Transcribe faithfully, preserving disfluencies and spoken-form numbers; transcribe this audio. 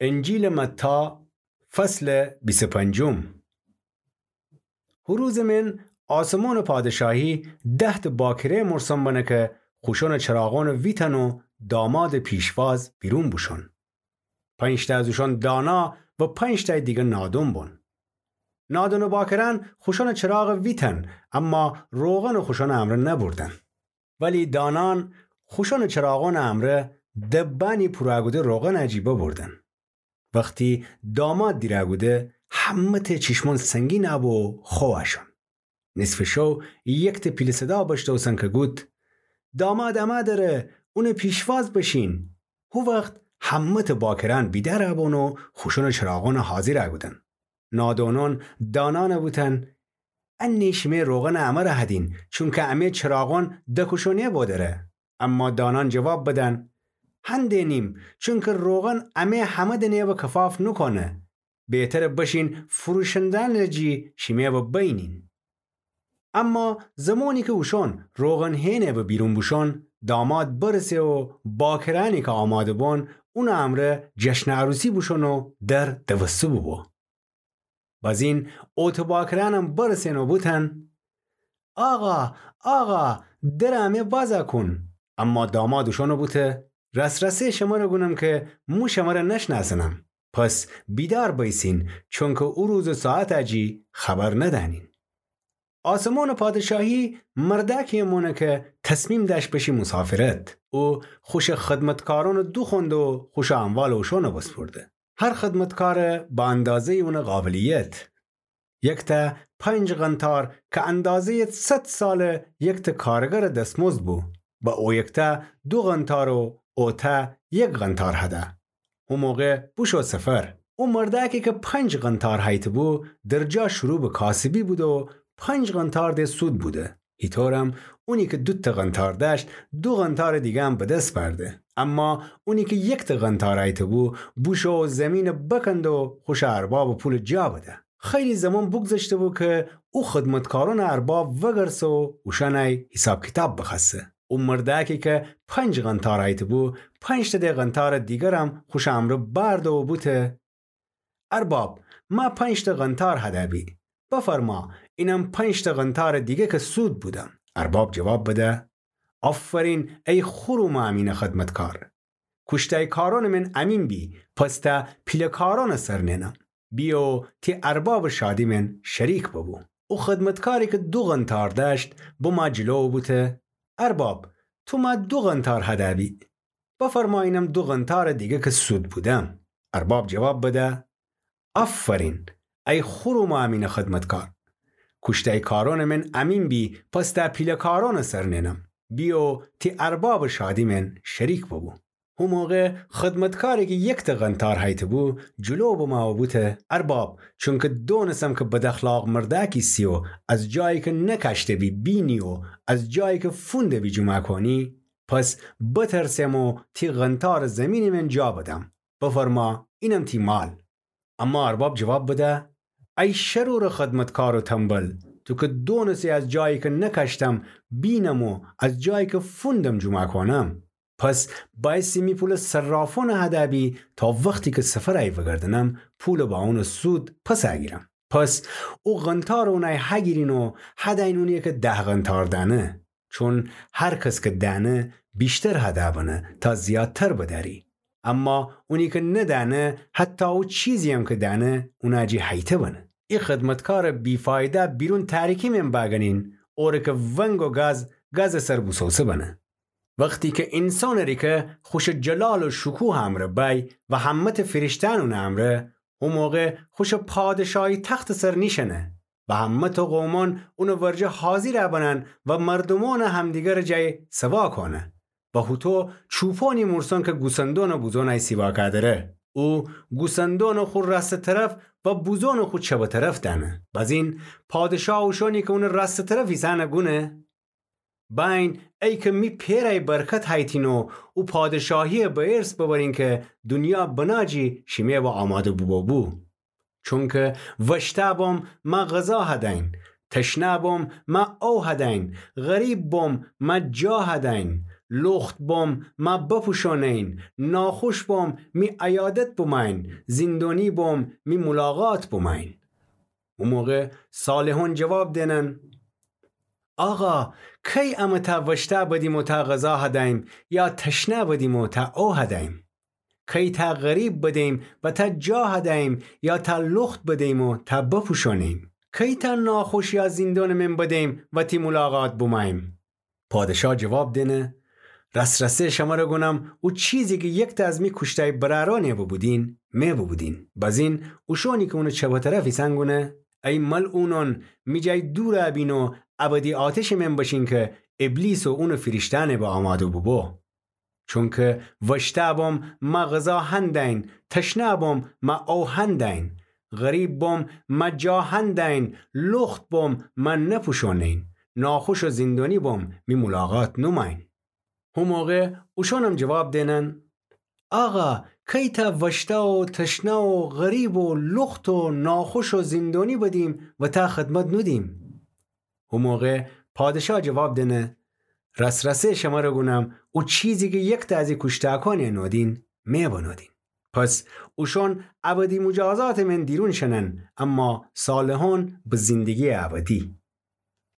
انجیلٚ متی، فصلٚ بیست و پنجم. هو روزٚ من آسمانٚ پادشاهی ده‌تأ باکره مورسن بنه که خوشأنٚ چراغأنَ ویتن و دامادٚ پیشواز بیرون بوشون. پنج‌تأ از اوشأن دانا و پنج‌تأیٚ دیگر نادون بون. نادونٚ باکرأن خوشأنٚ چراغَ ویتن، اما روغنَ خوشأنٚ امرأ نبوردن. ولی دانأن خوشأنٚ چراغأنٚ امرأ دبأنی پورَ کوده روغنٚ جی ببوردن. وختی داماد دیرَ کوده، همه‌تأ چیشمأن سنگین بو و خوأ وأشون. نصفٚ شو یکتأ پیله صدا بشنوسن که گود: داماد امه دره، اونٚ پیشواز بشین. هو وخت همه‌تأ باکرأن بیدأرَ بون و خوشأنٚ چراغأنَ حاضیرَ کودن. نادونأن دانأنَ بوتن: انه شیمه روغنٚ امرأ هدین، چونکه امه چراغأن دکوشونه‌بو دره. اما دانأن جواب بدن: هندینیم، چونکه روغن امه همه دنه و کفاف نوکونه. بهتره بشین فروشنده‌یأنٚ جی شیمه و بینین. اما زمانی که اوشأن روغن هینه و بیرون بوشون، داماد برسه و باکرأنی که آماده بون، اونٚ امرأ جشنٚ عروسی بوشون و در دوسته بوبو. بزین اوتٚ باکرأنم برسن و بوتن: آقا، آقا، درٚ امه وازَ کون. اما داماد اوشأنَ بوته: راس‌راسی شمره گونم که مو شمره نشنأسنم. پس بیدار بیسین، چونکه او روز و ساعتٚ جی خبر ندأنین. آسمانٚ پادشاهی مردأکی مونه که تصمیم دأشت بشه موسافرت. او خوشٚ خدمتکارأنَ دوخوأنده و خوشٚ اموالٚ اوشأنَ بسپرده. هر خدمتکارَ به اندازه‌یٚ اونٚ قابلیت. یکتأ پنج قنطار که اندازه‌یٚ صد سالٚ یکتأ کارگرٚ دسمزد بو، به او یکتأ دو قنطار و اوتأ یک قنطار هده. او موقع بوشو سفر. او مردأکی که پنج قنطار هیته‌بو، در جا شروع به کاسبی بوده و پنج قنطار ده سود بوده. ایطورم اونی که دوتأ قنطار دأشت، دو قنطارٚ دیگه‌م به دس بأرده. اما اونی که یکتأ قنطار هیته‌بو، بوشو زیمینَ بکنده و خوشٚ اربابٚ پولَ جا بده. خیلی زمان بوگذشته‌بو که او خدمتکارأنٚ ارباب وگرسه و اوشأنٚ حیساب کیتاب بخوأسه. او مردأکی که پنج قنطار هیته‌بو، پنج‌تأ ده قنطارٚ دیگرم خوشٚ امرأ بأرده و بوته: ارباب، مه پنج‌تأ قنطار هده‌بی. بفرما، اینم پنج‌تأ قنطارٚ دیگه که سود بودم. ارباب جواب بده: آفرین، ای خور و مأمینٚ خدمتکار. کوشتأی کارأنٚ من امین بی، پس تأ پیله کارأنٚ سر نینم. بیو تی اربابٚ شادی من شریک ببو. او خدمتکاری که دو قنطار دأشت، بمو جلو و بوته: ارباب، تو مه دو قنطار هده‌بی. بفرما، اینم دو قنطارٚ دیگه که سود بودم. ارباب جواب بده: آفرین، ای خور و مأمینٚ خدمتکار. کوشتأی کارأنٚ من امین بی، پس تأ پیله کارأنٚ سر نینم. بیو تی اربابٚ شادی من شریک ببو. هو موقع خدمتکاری که یکتأ قنطار هیته‌بو، جلو بمو و بوته: ارباب، چونکه دونسم که بداخلاق مردأکی سی و از جایی که نکاشته‌بی بینی و از جایی که فونده‌بی جومأ کونی، پس بترسم و تی قنطارٚ زیمینٚ من جا بدم. بفرما، اینم تی مال. اما ارباب جواب بده: ای شرورٚ خدمتکار و تنبل، تو که دونسی از جایی که نکاشتم بینم و از جایی که فوندم جومأ کونم، پس بأیستی می پولٚ صرافأنٚ هدأ بی تا وختی که سفرأی وگردنم، پولٚ با اونٚ سود پسأ گیرم. پس او قنطارٚ اونأی هگیرین و هدأیین اونی که ده قنطار دأنه. چون هر کس که دأنه، ویشتر هدأ بنه تا زیادتر بدأری. اما اونی که ندأنه، حتی او چیزییم که دأنه، اونأ جی هیته بنه. ای خدمتکارٚ بی‌فایده بیرون تاریکی من بأگنین، اوره که ونگ و گاز گازٚ سر بوسوسه بنه. وختی که اینسانٚ ریکه خوشٚ جلال و شکوهٚ امرأ بأی و همه‌تأ فیرشته‌یأن اونٚ امرأ، او موقع خوشٚ پادشاهی تختٚ سر نیشأنه و همه‌تأ قومأن اونٚ ورجه حاضیرأ بنن و مردومأنٚ همدیگرٚ جای سوا کونه. و هوطو چوپانی مورسان که گوسندونٚ بوزونأی سیوا کادره. او گوسندونٚ خو راستٚ طرف و بوزونٚ خو چپٚ طرف دأنه. بزین پادشاه اوشانی که اونٚ راستٚ طرف ایسأنه گونه: بأیین، ای که می پئرأی برکت هیتین و او پادشاهیی به ارث ببرین که دونیا بنا جی شیمه و آماده بوبو. چونکه وشتأ بم، مه غذا هدأیین، تشنه بم، مه او هدأیین، غریب بم، مه جا هدأیین، لخت بوم، مه بپوشونین، ناخوش بوم، می عیادت بوماین، زیندونی بوم، می مولاقات بوماین. او موقع صالحون جواب دینن: آقا، کی امه تا وشته بدیم و تا غذا هدایم، یا تشنه بدیم و تا او هدایم؟ کی تا غریب بدیم و تا جا هدایم، یا تا لخت بدیم و تا بپوشونیم؟ کی تا ناخوش یا زیندون من بدیم و تی مولاقات بومایم؟ پادشا جواب دینه: رس‌رسه شمره گونم، او چیزی کی یکتا از می کوشتای براران ببودین، می ببودین. بزین اوشونی کی اونٚ چپٚ طرف ایسن گونه: ای ملعونون، می جای دورَ بین و ابدی آتشٚ من بشین کی ابلیس و اونٚ فیریشتأنٚ به آمادو بوبو. چونکی وشته بوم، مه غذا هندین، تشنه بوم، مه او هندین، غریب بوم، مه جا هندین، لخت بوم، مه نپوشونین، ناخوش و زیندونی بوم، می مولاقات نوماین. هو موقع اوشونم جواب دینن: آقا، کی تا وشته و تشنه و غریب و لخت و ناخوش و زیندونی بدیم و تا خدمت نودیم؟ هو موقع پادشا جواب دینه: رس‌رسه شمره گونم، او چیزی کی یکتا از ای کوشتاکان نودین، می بنودین. پس اوشون ابدی مجازاتٚ من دیرون شنن، اما صالحون به زیندگیٚ ابدی.